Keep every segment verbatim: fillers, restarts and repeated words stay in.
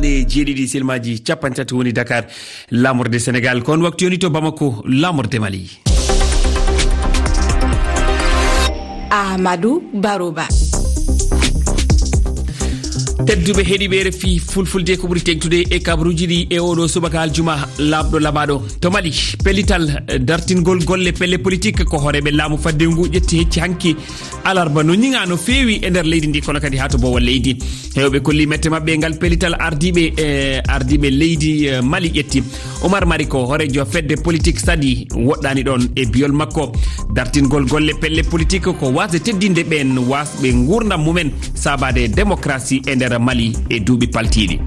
E jeeɗiɗi silmaaji capanɗe tati woni Dakar, laamorde Senegal. Ko on waktu yoni to Bamako, laamorde Mali. Amadou Baroba. Tedduɓe heɗiiɓe R F I Fulfulde, ko ɓuri teŋtude e kabaruuji ɗi e oɗo subaka aljuma laaɓɗo laɓaaɗo. To Mali, pellital, eh, dartingol golle pelle politik ko hooreeɓe laamu fadde ngu ƴetti hecci hanki alarba no ñiŋa no feewi e nder leydi ndi, kono kadi haa to boowal leydi. Heewɓe kolli mette maɓɓe e ngal pellital ardiiɓe, eh, ardiiɓe leydi, eh, Mali ƴetti. Omar Mariko, hooreejo fedde politik Sadi, woɗɗaani ɗoon e biyol makko. Dartingol golle pelle politik ko waasde teddinde ɓeen waasɓe nguurndam mumen saabaade e démocratie e nder Mali e duuɓi paltiiɗi.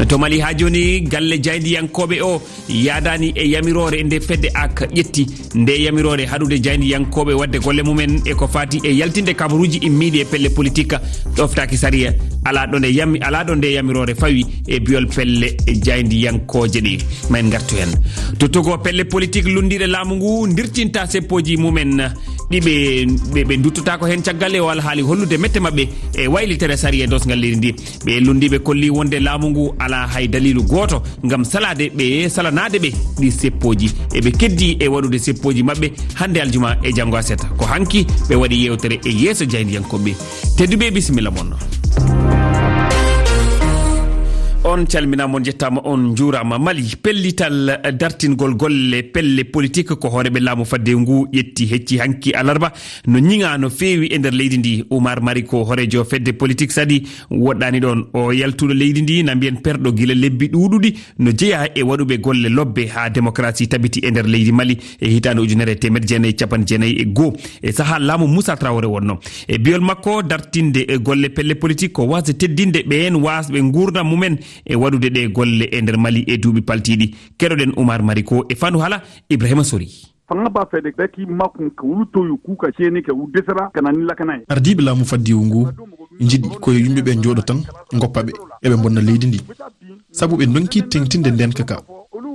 To Mali haa jooni, galle jaayndiyankooɓe o yaadaani e yamiroore nde fedde ak ƴetti. Nde yamiroore haɗude jaayndiyankooɓe waɗde golle mumen e ko faati e yaltinde kabaruuji immiiɗi e pelle politik ɗoftaaki sariya. Alaa ɗo nde yami-, alaa ɗo nde yamiroore fawi e biyol pelle jaayndiyankooje ɗe. Ma en ngartu heen. To Togo, pelle politik lunndiiɗe laamu ngu ndirtinta seppooji mumen ɗi ɓe, ɓe, ɓe nduttotaako heen caggal e o alhaali hollude mette maɓɓe e waylitere sariya e doosngal leydi ndi. Ɓe lunndiiɓe kolli wonde laamu ngu alaa hay daliilu gooto ngam salaade ɓe, salanaade ɓe ɗi seppooji. Eɓe keddii e waɗude seppooji maɓɓe hannde aljuma e janngo aset. Ko hanki ɓe waɗi yeewtere e yeeso jaayndiyankooɓe. Tedduɓe, bisimilla mon. On calminaama, on njettaama, on njuuraama. Mali, pellital dartingol golle pelle politik ko hooreeɓe laamu fadde ngu ƴetti hecci hanki alarba no ñiŋa no feewi e nder leydi ndi. Umar Mariko, hooreejo fedde politik Sadi, woɗɗaani ɗoon. O yaltuɗo leydi ndi na mbiyen perɗo gila lebbi ɗuuɗuɗi no jeyaa e waɗuɓe golle lobbe haa démocratie tabiti e nder leydi Mali e hitaande ujunere e teemedde jeenayi e capanɗe jeenayi e goo, e sahaa laamu Moussa Traoré wonnoo. E biyol makko, dartinde e golle pelle politik ko waasde teddinde ɓeen waasɓe nguurndam mumen e waɗude ɗee golle e nder Mali e duuɓi paltiiɗi. Keɗoɗen Umar Mariko e fannu haala Ibrahima Sori. Fanga ba fede beki makun ka wulu toyu kuka ceni ka wudesara kana ni lakana. Ardiiɓe laamu faddiwu ngu njiɗi ko yo yimɓe ɓe njooɗo tan, ngoppa ɓe, eɓe mbonna leydi ndi. Sabu ɓe ndonki teŋtinde ndeenka ka.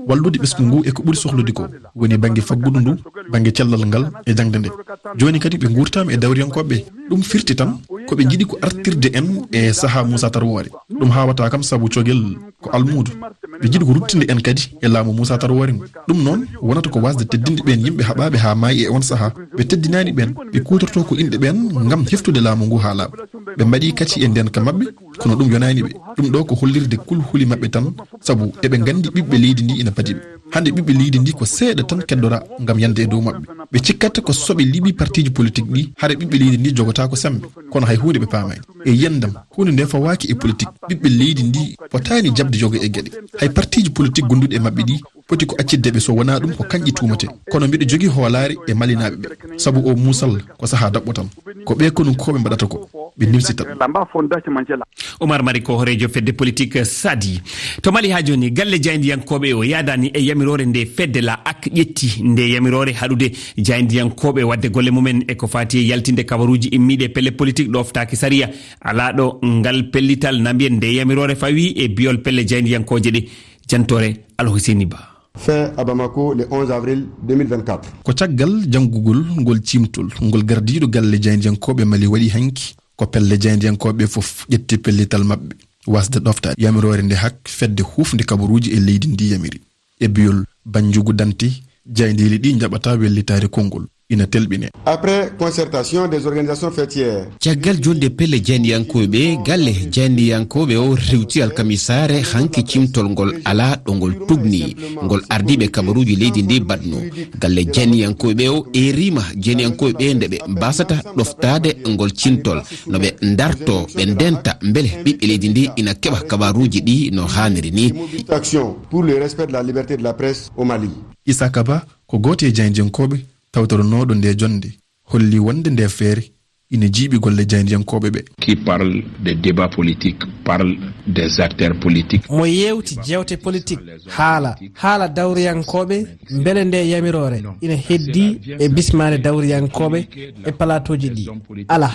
Wallude ɓesngu ngu e ko ɓuri sohlude ko woni bannge faggudu ndu, bannge cellal ngal e jaŋde nde. Jooni kadi ɓe nguurtaama e dawriyankooɓe ɓe. Ɗum firti tan ko ɓe njiɗi ko artirde en e sahaa Muusa Tarwoore. Ɗum haawataa kam sabu cogel ko almuudo. Ɓe njiɗi ko ruttinde en kadi e laamu Muusa Tarwoore ngu. Ɗum noon wonata ko waasde teddinde ɓeen yimɓe haɓaaɓe haa maayi e oon sahaa. Ɓe teddinaani ɓeen, ɓe kuutortoo ko inɗe ɓeen ngam heftude laamu ngu haa laaɓa. Ɓe mbaɗi kadi e ndeenka maɓɓe, kono ɗum yonaani ɓe. Ɗum ɗo ko hollirde kulhuli maɓɓe tan, sabu eɓe nganndi ɓiɓɓe leydi ndi ina padi ɓe. Hannde ɓiɓɓe leydi ndi ko seeɗa tan keddora ngam yande e dow maɓɓe. Ɓe cikkata ko so ɓe liɓi partiiji politik ɗi, hara ɓiɓɓe leydi ndi jogotaako semmbe. Kono hay huunde ɓe paamaani. E yiyannde am, huunde nde fawaaki e politik. Ɓiɓɓe leydi ndi potaani jaɓde yoga e geɗe. Hay partiiji politik gonduɗi e maɓɓe ɗi poti ko accitde ɓe, so wonaa ɗum ko kañƴi tuumaten. Kono mbiɗo jogii hoolaare e Malinaaɓe ɓe, sabu oo muusal ko sahaa daɓɓo tan. Ko ɓee konunkooɓe mbaɗata ko, ɓe nimsita ɗum. Omar Mari ko hooreejo fedde politik Sadi. To Mali haa jooni, galle jaayndiyankooɓe o yaadaani e yamiroore nde fedde la ak ƴetti. Nde yamiroore haɗude jaayndiyankooɓe waɗde golle mumen e ko faati e yaltinde kabaruuji immiiɗi e pelle politik ɗoftaaki sariya. Alaa ɗo ngal pellital na mbiyen nde yamiroore fawi e biyol pelle jaayndiyankooje ɗe. Jantoore Alhuseni Ba. Fait à Bamako le onze avril deux mille vingt-quatre. Ko caggal janngugol ngol ciimtol ngol gardiiɗo galle jaayndiyankooɓe Mali waɗi hanki, ko pelle jaayndiyankooɓe fof ƴetti pellital maɓɓe waasde ɗoftaade yamiroore nde hak fedde huufnde kabaruuji e leydi ndi yamiri. E biyol Banjugu Dante, jaayndeeli ɗi njaɓata wellitaare konngol. Ina telɓine. Après concertation des organisations faîtières. Caggal jonde pelle jaayndiyankooɓe, galle jaayndiyankooɓe o rewti alkamisaare hanki cimtol ngol alaa ɗo ngol tugni, ngol ardiiɓe kabaruuji leydi ndi mbaɗno. Galle jaayndiyankooɓe o eeriima jaayndiyankooɓe nde ɓe mbasata ɗoftaade ngol cimtol, no ɓe ndarto, ɓe ndenta mbele ɓiɓɓe leydi ndi ina keɓa kabaruuji ɗi no haaniri ni. Action pour le respect de la liberté de la presse au Mali. Isaka Ba ko gooto e jaayndiyankooɓe tawtoronooɗo nde jonnde, holli wonde nde feere ina jiiɓi golle jaayndiyankooɓe ɓe. Qui parle des débats politiques parle des acteurs politiques. Mo yeewti jeewte politik, haala, haala dawriyankooɓe, mbele nde yamiroore ina heddii e bismaade dawriyankooɓe e palaatooji ɗi? Alaa.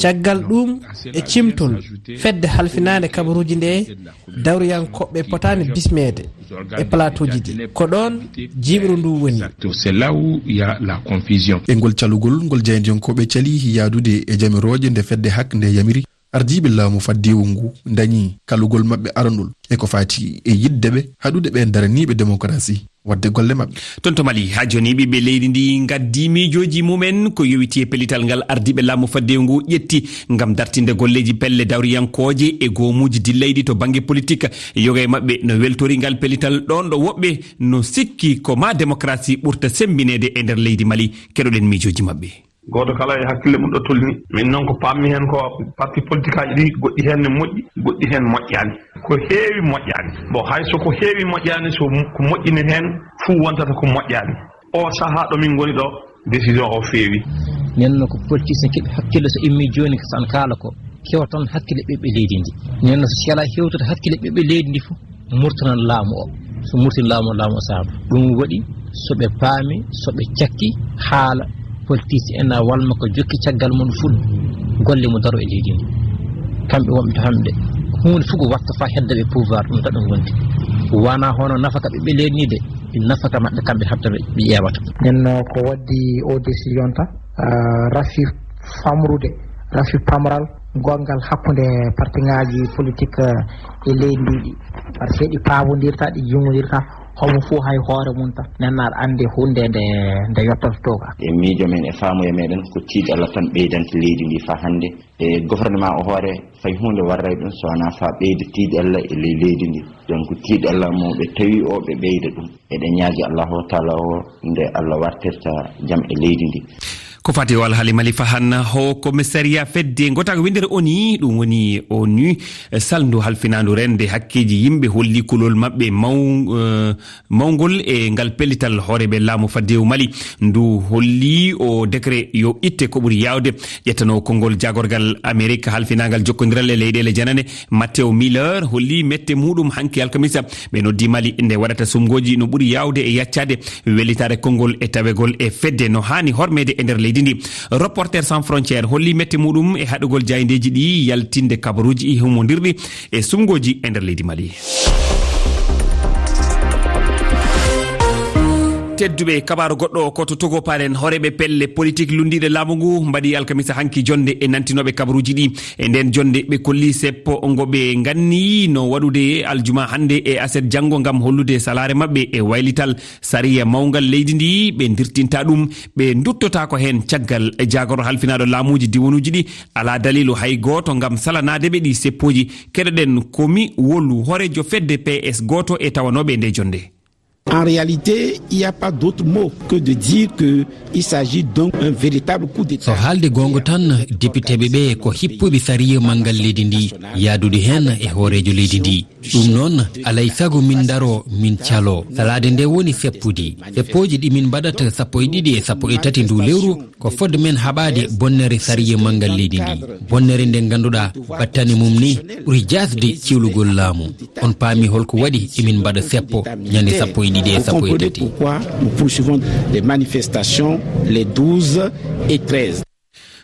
Caggal ɗum, e cimtol fedde halfinaande kabaruuji nde, dawriyankooɓe potaani bismeede e palaatooji ɗi. Ko ɗoon jiiɓru ndu woni. C'est là où il y a la confusion. E ngol calugol ngol jaayndiyankooɓe cali yahdude e jamirooje nde fedde hak nde yamiri, Ardiiɓe laamu faddewu ngu ndañii kalugol maɓɓe aranol e ko faati e yiɗde ɓe haɗude ɓeen daraniiɓe demokarasi waɗde golle maɓɓe. Toon to Mali, haa jooni ɓiɓɓe leydi ndi ngaddii miijooji mumen ko yowiti e pellital ngal ardiiɓe laamu faddewu ngu ƴetti ngam dartinde golleeji pelle dawriyankooje e goomuuji dillayɗi to bannge politik. Yoga e maɓɓe no weltori ngal pellital ɗoon ɗo woɓɓe no sikki ko maa demokarasi ɓurta semmbineede e nder leydi Mali. Keɗoɗen miijooji maɓɓe. Gooto kala e hakkille mum ɗo tolni. Min noon ko paammi heen ko parti politikaaji ɗi, goɗɗi heen ne moƴƴi, goɗɗi heen moƴƴaani. Ko heewi moƴƴaani. Bon, hay so ko heewi moƴƴaani, so ko moƴƴi ne heen, fuu wontata ko moƴƴaani. O sahaa ɗo min ngoni ɗo, décision o feewi. Nden no ko politicien keɓi hakkille, so immi jooni ko san kaala ko kewa tan hakkille ɓiɓɓe leydi ndi. Nden no so sela hewtude hakkille ɓiɓɓe leydi ndi fof, murtanan laamu o. So murtin laamu o, laamu o saama. Ɗum waɗi so ɓe paami, so ɓe cakki haala politicien en, a walma ko jokki caggal mum fuɗ golle mum daro e leydi ndi. Kamɓe wonɓe to hannde, huunde fof ko watta faa hedda ɓe pouvoir, ɗum tan ɗum wondi. Wona hono nafaka ɓiɓɓe leydi ndi de, nafaka maɓɓe kamɓe hatta ɓe ƴeewata. Nden no ko waddi o décision ta, ah, rafi famrude, rafi pamral, gongal hakkunde partiŋaaji politik, eh, e leydi ndi ɗi. Par ce que ɗi paabondirta, ɗi juumondirta, homo fof hay hoore mum tan. Nden aɗa anndi huunde nde, nde yottata to ka. E miijo men, e faamuya meɗen, ko tiiɗalla tan ɓeydanta leydi ndi faa hannde. E gouvernement o hoore, fay huunde warray ɗum so wonaa faa ɓeyda tiiɗalla e ley leydi ndi. Donc, tiiɗalla mo ɓe tawi o, ɓe ɓeyda ɗum. Eɗen ñaagi Allahu taala o nde Allah wartirta jam e leydi ndi. Ko fati o alhaali Mali fahan, Haut Commissariat fedde ngotaago winndere O N U, ɗum woni O N U, salndu halfinaandu rende hakkeeji yimɓe holli kulol maɓɓe maw-, eh, mawngol e ngal pellital hooreeɓe laamu faddewu Mali. Ndu holli o décret yo itte ko ɓuri yaawde. Ƴettano konngol jaagorgal Amerik halfinaangal jokkondiral e leyɗeele janane, Matthew Miller holli mette muɗum hanki alkamisa. Ɓe noddi Mali nde waɗata sumgooji no ɓuri yaawde e yaccaade wellitaare konngol e tawegol e fedde no haani hormeede e nder leydi ndi. Reporters Sans Frontières holli mette muɗum e haɗugol jaayndeeji ɗi yaltinde kabaruuji humondirɗi e sumgooji e nder leydi Mali. Tedduɓe, kabaaru goɗɗo ko to Togo paɗen. Hooreeɓe pelle politik lunndiiɗe laamu ngu mbaɗi alkamisa hanki jonnde e nantinooɓe kabaruuji ɗi. E nden jonnde, ɓe kolli seppo ngo ɓe nganni no waɗude aljuma hannde e aset janngo ngam hollude salaare maɓɓe e waylital sariya mawngal leydi ndi. Ɓe ndirtinta ɗum, ɓe nduttotaako heen caggal jaagorɗo halfinaaɗo laamuuji diwonuuji ɗi. Alaa daliilu hay gooto ngam salanaade ɓe ɗi seppooji. Keɗoɗen Komi Wolu, hooreejo fedde P S gooto e tawanooɓe e nde jonnde. En réalité, il n'y a pas d'autre mot que de dire que il s'agit donc d'un véritable coup d'État. So haalde goonga tan, depiteeɓe ɓe ko hippuɓe sariya manngal leydi ndi, yaadude heen e hooreejo leydi ndi. Ɗum noon, alay sago min ndaro, min calo. Salaade nde woni seppude. Seppooji ɗi min mbaɗata sappo e ɗiɗi e sappo e tati ndu lewru, ko fodde men haɓaade bonnere sariya manngal leydi ndi. Bonnere nde ngannduɗaa battane mum ni ɓuri jaasde ciwlugol laamu. On paami holko waɗi emin mbaɗa seppo, ñande sappo e ɗiɗi e sappo e tati. Pourquoi nous poursuivons des manifestations les douze et treize.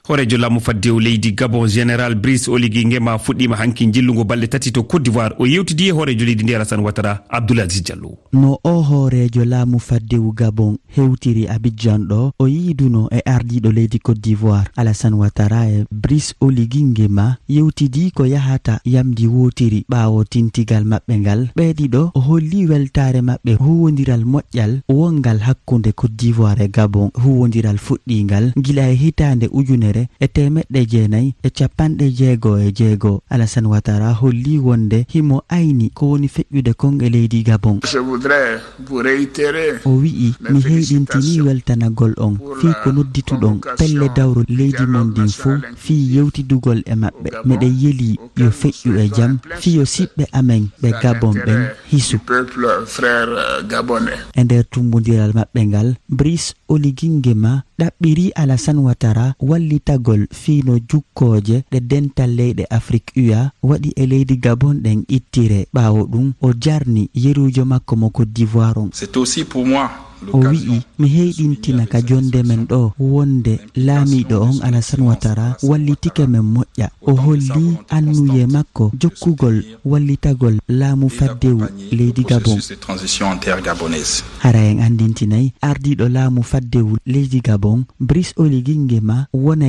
Hooreejo laamu faddewu leydi Gabon, Général Brice Oligui Nguema, fuɗɗiima hanki njillungo balɗe tati to Côte d'Ivoire. O yewtidi e hooreejo leydi ndi, Alassane Ouattara. Abdoul Aziz Diallo. No o hooreejo laamu faddewu Gabon hewtiri Abidjan ɗo, o yiiduno e ardiiɗo leydi Côte d'Ivoire, Alassane Ouattara, e Brice Oligui Nguema yewtidi ko yahata yamndi wootiri ɓaawo tintigal maɓɓe ngal. Ɓee ɗiɗo o holli weltaare maɓɓe huuwondiral moƴƴal wonngal hakkunde Côte d'Ivoire e Gabon, huuwondiral fuɗɗiingal gila e hitaande ujunere e teemeɗɗe jeenayi e capanɗe jeego e jeego. Alassane Ouattara holli wonde himo ayni ko woni feƴƴude kon e leydi Gabon. Je voudrais vous réitérer. O wi'i, "Mi heyɗintinii weltanagol on fii ko noddituɗon pelle dawro leydi mon ndin fow fii yewtidugol e maɓɓe. Miɗen yelii yo feƴƴu e jam fii yo siɓɓe amen ɓe Gabon ɓen hisu." Peuple, frère, euh, gabonais. E nder tummbondiral maɓɓe ngal, Brice Oligui Nguema ɗaɓɓirii Alassane Ouattara wallitagol fii no jukkooje ɗe dental leyɗe Afrik U A waɗi e leydi Gabon ɗen ittire. Ɓaawo ɗum, o jarni yeruujo makko mo Côte d'Ivoire on. C'est aussi pour moi. O wi'i, "Mi heyɗintina ka jonnde men ɗo wonde laamiiɗo on, Alassane Ouattara, wallitike men moƴƴa." O holli annuyee makko jokkugol wallitagol laamu faddewu leydi Gabon. Hara en anndintinay, ardiiɗo laamu faddewu leydi Gabon, Brice Oligui Nguema, wonay